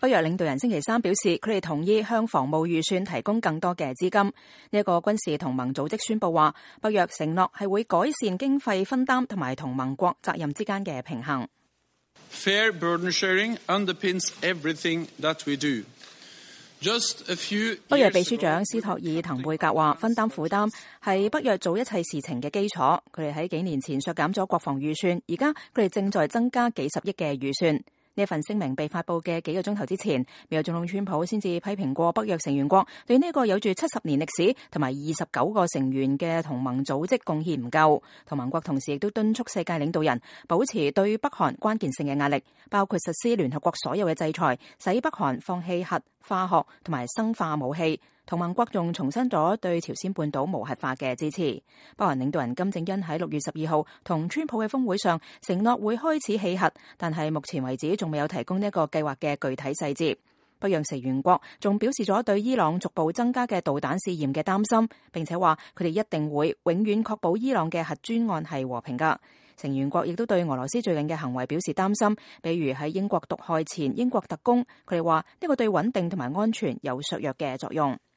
北約領導人星期三表示，佢哋同意向防務預算提供更多嘅資金。呢一個軍事同盟組織宣布話，北約承諾係會改善經費分擔同埋同盟國責任之間嘅平衡。Fair burden sharing underpins everything that we do. 北約秘書長斯托爾滕貝格話，分擔負擔係北約做一切事情嘅基礎。佢哋喺幾年前削減咗國防預算，而家佢哋正在增加幾十億嘅預算。呢份聲明被發佈嘅幾個鐘頭之前，美國總統川普先至批評過北約成員國對呢個有住70年歷史同埋29個成員嘅同盟組織貢獻唔夠。同盟國同時亦都敦促世界領導人保持對北韓關鍵性嘅壓力，包括實施聯合國所有嘅制裁，使北韓放棄核、化學同埋生化武器。同盟國仲重申咗對朝鮮半島無核化嘅支持。北韓領導人金正恩喺6月12號同川普嘅峰會上承諾會開始棄核，但係目前為止仲未有提供呢個計劃嘅具體細節。北約成員國仲表示咗對伊朗逐步增加嘅導彈試驗嘅擔心，並且話佢哋一定會永遠確保伊朗嘅核專案係和平㗎。成員國亦都對俄羅斯最近嘅行為表示擔心，比如喺英國毒害前英國特工，佢哋話呢個對穩定同埋安全有削弱嘅作用。